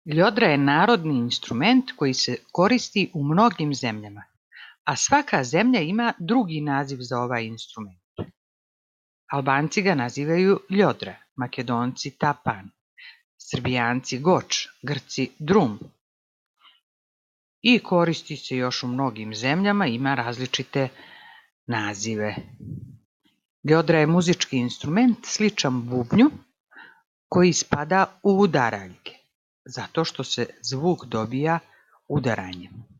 Ljodra je narodni instrument koji se koristi u mnogim zemljama, a svaka zemlja ima drugi naziv za ovaj instrument. Albanci ga nazivaju ljodra, Makedonci tapan, Srbijanci goč, Grci drum. I koristi se još u mnogim zemljama, ima različite nazive. Ljodra je muzički instrument sličan bubnju koji spada u udaraljke, zato što se zvuk dobija udaranjem.